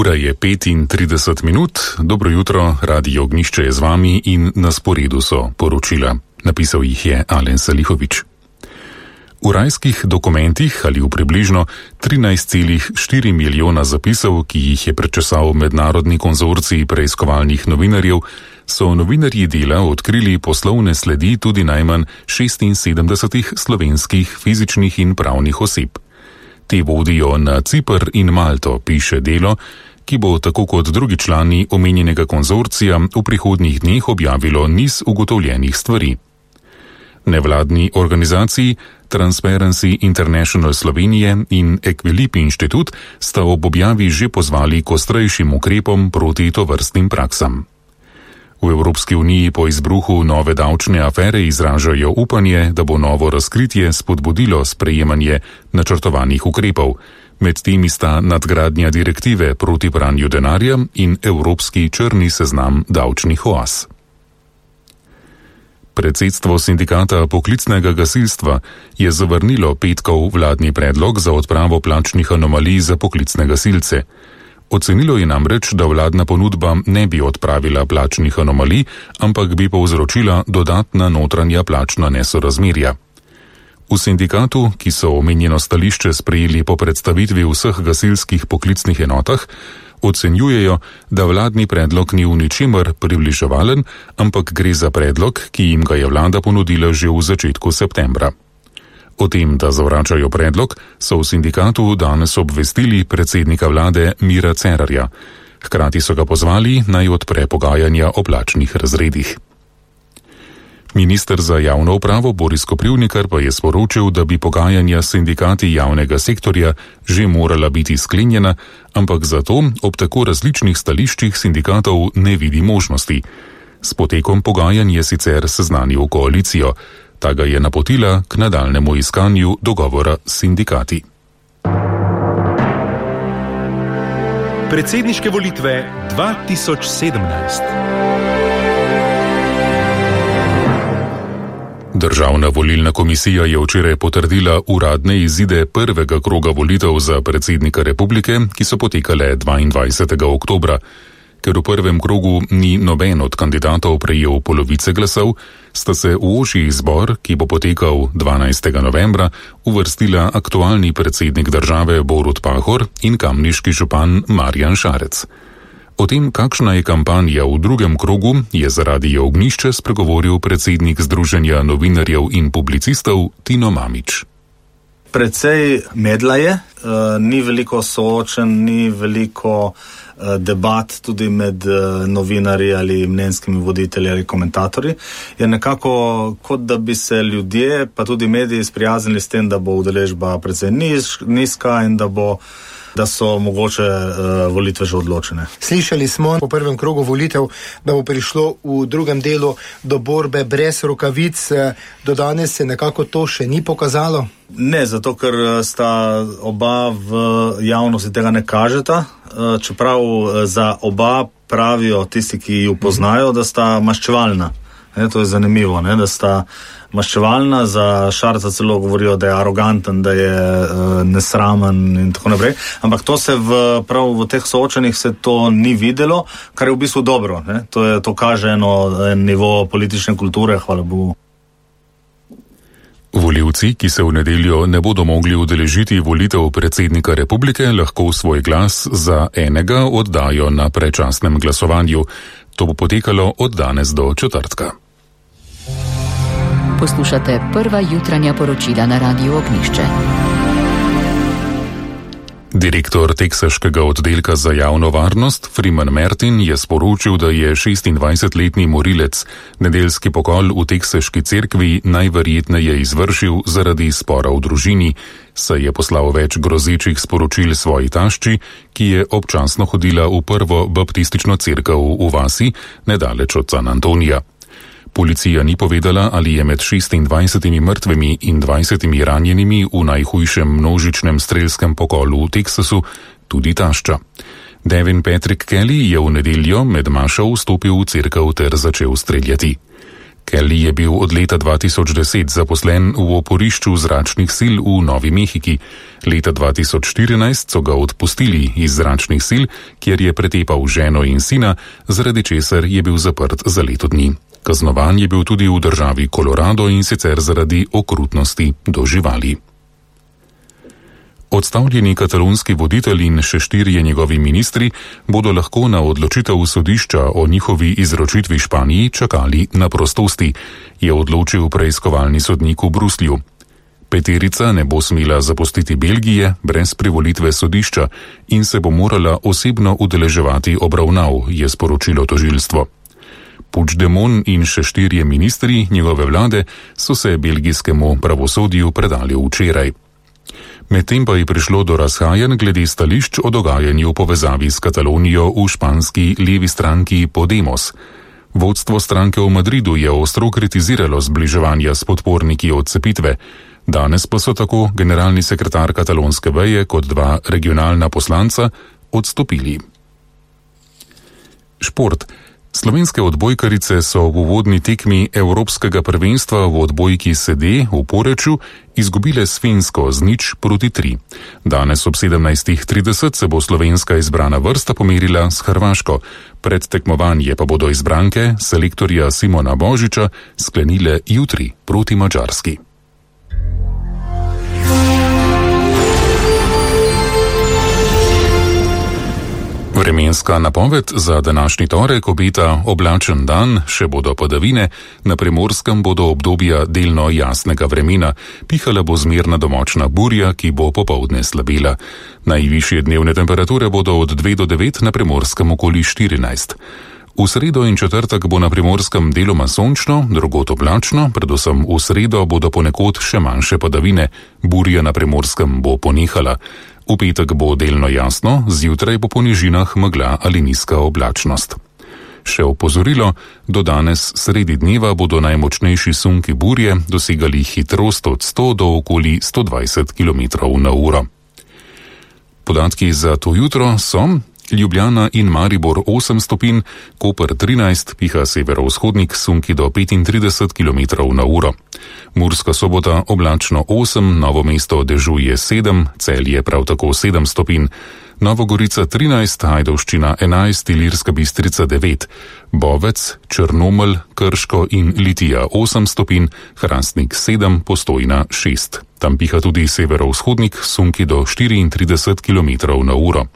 Ura je 35 minut, dobro jutro, Radio Ognjišče je z vami in na sporedu so poročila. Napisal jih je Alen Salihovič. V rajskih dokumentih ali v približno 13,4 milijona zapisov, ki jih je prečesal mednarodni konzorcij preiskovalnih novinarjev, so novinarji Dela odkrili poslovne sledi tudi najmanj 76 slovenskih fizičnih in pravnih oseb. Te vodijo na Ciper in Malto, piše Delo, ki bo tako kot drugi člani omenjenega konzorcija v prihodnjih dneh objavilo niz ugotovljenih stvari. Nevladni organizaciji Transparency International Slovenije in Equilib Inštitut sta ob objavi že pozvali k ostrejšim ukrepom proti tovrstnim praksam. V Evropski uniji po izbruhu nove davčne afere izražajo upanje, da bo novo razkritje spodbudilo sprejemanje načrtovanih ukrepov. Med temi sta nadgradnja direktive proti pranju denarja in Evropski črni seznam davčnih oaz. Predsedstvo sindikata poklicnega gasilstva je zavrnilo petkov vladni predlog za odpravo plačnih anomalij za poklicne gasilce. Ocenilo je namreč, da vladna ponudba ne bi odpravila plačnih anomalij, ampak bi povzročila dodatna notranja plačna nesorazmerja. V sindikatu, ki so omenjeno stališče sprejeli po predstavitvi vseh gasilskih poklicnih enotah, ocenjujejo, da vladni predlog ni v ničemer približevalen, ampak gre za predlog, ki jim ga je vlada ponudila že v začetku septembra. O tem, da zavračajo predlog, so v sindikatu danes obvestili predsednika vlade Mira Cerarja. Hkrati so ga pozvali, naj odpre pogajanja o plačnih razredih. Minister za javno upravo Boris Koprivnikar pa je sporočil, da bi pogajanja s sindikati javnega sektorja že morala biti sklenjena, ampak zato ob tako različnih stališčih sindikatov ne vidi možnosti. S potekom pogajanj je sicer seznanil koalicijo. Ta ga je napotila k nadaljnemu iskanju dogovora s sindikati. Predsedniške volitve 2017. Državna volilna komisija je včeraj potrdila uradne izide prvega kroga volitev za predsednika republike, ki so potekale 22. oktobra. Ker v prvem krogu ni noben od kandidatov prejel polovice glasov, sta se v ožji izbor, ki bo potekal 12. novembra, uvrstila aktualni predsednik države Borut Pahor in kamniški župan Marjan Šarec. O tem, kakšna je kampanja v drugem krogu, je za Radio Ognjišče spregovoril predsednik Združenja novinarjev in publicistov Tino Mamić. Precej medla je, ni veliko soočen, ni veliko debat tudi med novinarji ali mnenjskimi voditelji ali komentatorji. Je nekako kot da bi se ljudje, pa tudi mediji sprijaznili s tem, da bo udeležba precej nizka in da so mogoče volitve že odločene. Slišali smo po prvem krogu volitev, da bo prišlo v drugem delu do borbe brez rokavic. Do danes se nekako to še ni pokazalo? Ne, zato ker sta oba v javnosti tega ne kažeta, čeprav za oba pravijo tisti, ki ju poznajo, da sta maščevalna. To je zanimivo, da sta maščevalna, za Šarca celo govorijo, da je aroganten, da je nesramen in tako naprej. Ampak to se prav v teh soočenjih se to ni videlo, kar je v bistvu dobro. To kaže en nivo politične kulture, hvala Bogu. Volivci, ki se v nedeljo ne bodo mogli udeležiti volitev predsednika republike, lahko svoj glas za enega oddajo na predčasnem glasovanju. To bo potekalo od danes do četrtka. Poslušate prva jutranja poročila na Radiu Ognjišče. Direktor teksaškega oddelka za javno varnost Freeman Martin je sporočil, da je 26-letni morilec nedeljski pokol v teksaški cerkvi najverjetneje izvršil zaradi spora v družini, saj je poslal več grozečih sporočil svoji tašči, ki je občasno hodila v prvo baptistično cerkev v vasi nedaleč od San Antonija. Policija ni povedala, ali je med 26 mrtvimi in 20 ranjenimi v najhujšem množičnem strelskem pokolu v Teksasu tudi tašča. Devin Patrick Kelly je v nedeljo med mašo vstopil v cerkev ter začel streljati. Kelly je bil od leta 2010 zaposlen v oporišču zračnih sil v Novi Mehiki. Leta 2014 so ga odpustili iz zračnih sil, kjer je pretepal ženo in sina, zaradi česar je bil zaprt za leto dni. Kaznovan je bil tudi v državi Colorado in sicer zaradi okrutnosti do živali. Odstavljeni katalonski voditelj in še 4 njegovi ministri bodo lahko na odločitev sodišča o njihovi izročitvi Španiji čakali na prostosti, je odločil preiskovalni sodnik v Bruslju. 5 ne bo smela zapustiti Belgije brez privolitve sodišča in se bo morala osebno udeleževati obravnav, je sporočilo tožilstvo. Puigdemont in še 4 ministri njegove vlade so se belgijskemu pravosodju predali včeraj. Medtem pa je prišlo do razhajanj glede stališč o dogajanju v povezavi s Katalonijo v španski levi stranki Podemos. Vodstvo stranke v Madridu je ostro kritiziralo zbliževanja s podporniki odcepitve. Danes pa so tako generalni sekretar katalonske veje kot 2 regionalna poslanca odstopili. Šport. Slovenske odbojkarice so v uvodni tekmi Evropskega prvenstva v odbojki sede v Poreču izgubile s Finsko z 0-3. Danes ob 17:30 se bo slovenska izbrana vrsta pomerila s Hrvaško. Pred tekmovanje pa bodo izbranke selektorja Simona Božiča sklenile jutri proti Madžarski. Vremenska napoved za današnji torek obeta oblačen dan, še bodo padavine, na Primorskem bodo obdobja delno jasnega vremena, pihala bo zmerna do močna burja, ki bo popoldne slabela. Najvišje dnevne temperature bodo od 2 do 9, na Primorskem okoli 14. V sredo in četrtek bo na Primorskem deloma sončno, drugod oblačno, predvsem v sredo bodo ponekod še manjše padavine, burja na Primorskem bo ponehala. V petek bo delno jasno, zjutraj bo po nižinah megla ali nizka oblačnost. Še opozorilo, do danes sredi dneva bodo najmočnejši sunki burje dosegali hitrost od 100 do okoli 120 km/h. Podatki za to jutro so: Ljubljana in Maribor 8 stopinj, Koper 13, piha severovzhodnik, sunki do 35 km/h. Murska Sobota oblačno 8, Novo mesto dežuje 7, Celje prav tako 7 stopinj, Nova Gorica 13, Ajdovščina 11, Ilirska Bistrica 9, Bovec, Črnomelj, Krško in Litija 8 stopinj, Hrastnik 7, Postojna 6. Tam piha tudi severovzhodnik, sunki do 34 km/h.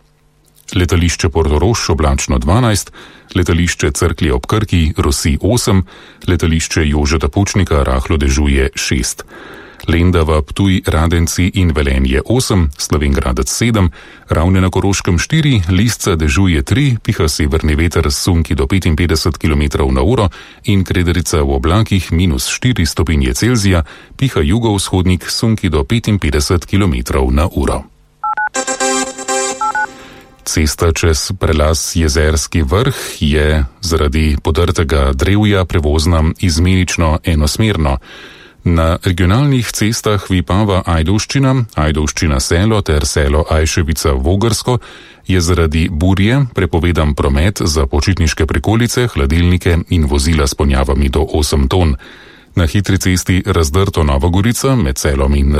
Letališče Portorož oblačno 12, letališče Cerklje ob Krki rosi 8, letališče Jožeta Pučnika rahlo dežuje 6. Lendava, Ptuj, Radenci in Velenje 8, Slovenjgradec 7, Ravne na Koroškem 4, Lisca dežuje 3, piha severni veter s sunki do 55 km/h in Krederica v oblakih -4 stopinje Celzija, piha jugovzhodnik sunki do 55 km/h. Cesta čez prelaz Jezerski vrh je zaradi podrtega drevja prevozna izmenično enosmerno. Na regionalnih cestah Vipava Ajdovščina, Ajdovščina Selo ter Selo Ajševica Vogrsko je zaradi burje prepovedan promet za počitniške prikolice, hladilnike in vozila s ponjavami do 8 ton. Na hitri cesti Razdrto Nova Gorica med Selom in